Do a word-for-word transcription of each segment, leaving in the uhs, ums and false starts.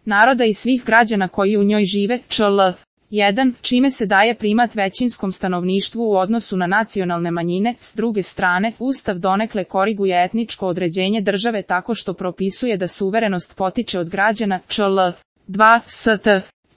naroda i svih građana koji u njoj žive, čl. jedan. Čime se daje primat većinskom stanovništvu u odnosu na nacionalne manjine. S druge strane, Ustav donekle koriguje etničko određenje države tako što propisuje da suverenost potiče od građana, čl. dva. st.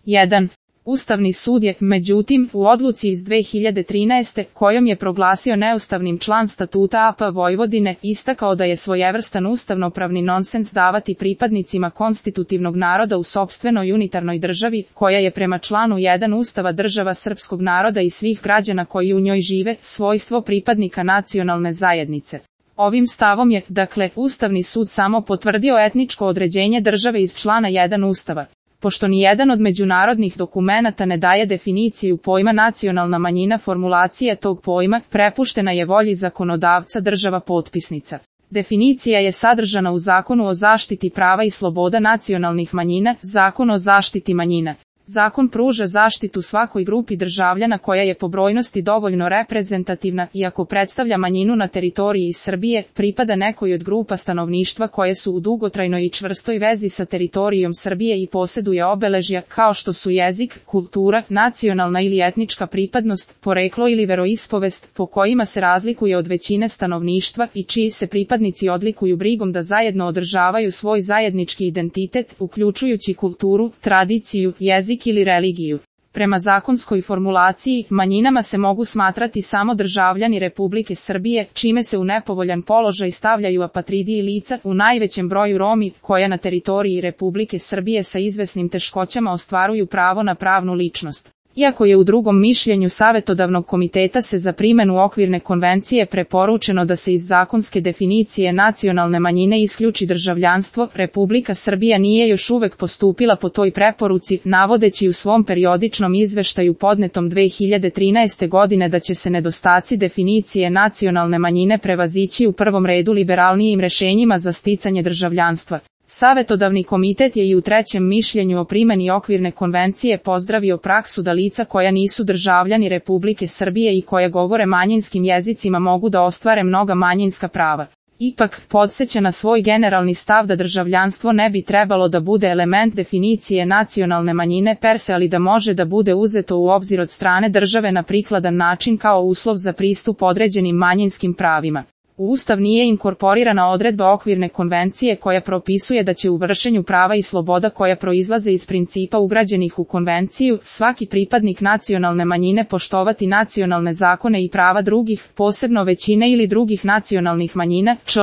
jedan. Ustavni sud je, međutim, u odluci iz dve hiljade trinaeste. kojom je proglasio neustavnim član statuta A P Vojvodine, istakao da je svojevrstan ustavnopravni nonsens davati pripadnicima konstitutivnog naroda u sopstvenoj unitarnoj državi, koja je prema članu jedan Ustava država srpskog naroda i svih građana koji u njoj žive, svojstvo pripadnika nacionalne zajednice. Ovim stavom je, dakle, Ustavni sud samo potvrdio etničko određenje države iz člana jedan Ustava. Pošto ni jedan od međunarodnih dokumenata ne daje definiciju pojma nacionalna manjina, formulacija tog pojma prepuštena je volji zakonodavca država potpisnica. Definicija je sadržana u Zakonu o zaštiti prava i sloboda nacionalnih manjina, Zakon o zaštiti manjina. Zakon pruža zaštitu svakoj grupi državljana koja je po brojnosti dovoljno reprezentativna i ako predstavlja manjinu na teritoriji Srbije, pripada nekoj od grupa stanovništva koje su u dugotrajnoj i čvrstoj vezi sa teritorijom Srbije i posjeduje obeležja kao što su jezik, kultura, nacionalna ili etnička pripadnost, poreklo ili veroispovest, po kojima se razlikuje od većine stanovništva i čiji se pripadnici odlikuju brigom da zajedno održavaju svoj zajednički identitet, uključujući kulturu, tradiciju, jezik ili religiju. Prema zakonskoj formulaciji, manjinama se mogu smatrati samo državljani Republike Srbije, čime se u nepovoljan položaj stavljaju apatridi i lica, u najvećem broju Romi, koja na teritoriji Republike Srbije sa izvesnim teškoćama ostvaruju pravo na pravnu ličnost. Iako je u drugom mišljenju Savetodavnog komiteta se za primjenu okvirne konvencije preporučeno da se iz zakonske definicije nacionalne manjine isključi državljanstvo, Republika Srbija nije još uvek postupila po toj preporuci, navodeći u svom periodičnom izveštaju podnetom dve hiljade trinaeste. godine da će se nedostaci definicije nacionalne manjine prevazići u prvom redu liberalnijim rešenjima za sticanje državljanstva. Savetodavni komitet je i u trećem mišljenju o primjeni okvirne konvencije pozdravio praksu da lica koja nisu državljani Republike Srbije i koja govore manjinskim jezicima mogu da ostvare mnoga manjinska prava. Ipak, podseća na svoj generalni stav da državljanstvo ne bi trebalo da bude element definicije nacionalne manjine per se, ali da može da bude uzeto u obzir od strane države na prikladan način kao uslov za pristup određenim manjinskim pravima. U Ustav nije inkorporirana odredba okvirne konvencije koja propisuje da će u vršenju prava i sloboda koja proizlaze iz principa ugrađenih u konvenciju, svaki pripadnik nacionalne manjine poštovati nacionalne zakone i prava drugih, posebno većine ili drugih nacionalnih manjina, čl.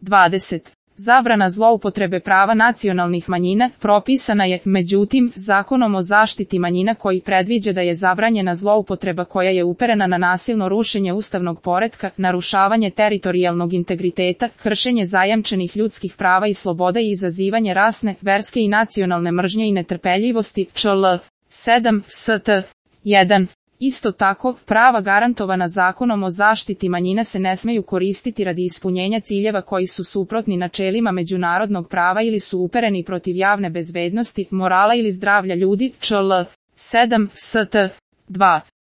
dvadeset. Zabrana zloupotrebe prava nacionalnih manjina propisana je, međutim, Zakonom o zaštiti manjina koji predviđa da je zabranjena zloupotreba koja je uperena na nasilno rušenje ustavnog poretka, narušavanje teritorijalnog integriteta, kršenje zajamčenih ljudskih prava i sloboda i izazivanje rasne, verske i nacionalne mržnje i netrpeljivosti, čl. sedam. st. jedan. Isto tako, prava garantovana Zakonom o zaštiti manjina se ne smeju koristiti radi ispunjenja ciljeva koji su suprotni načelima međunarodnog prava ili su upereni protiv javne bezbednosti, morala ili zdravlja ljudi, čl. sedam. st. dva.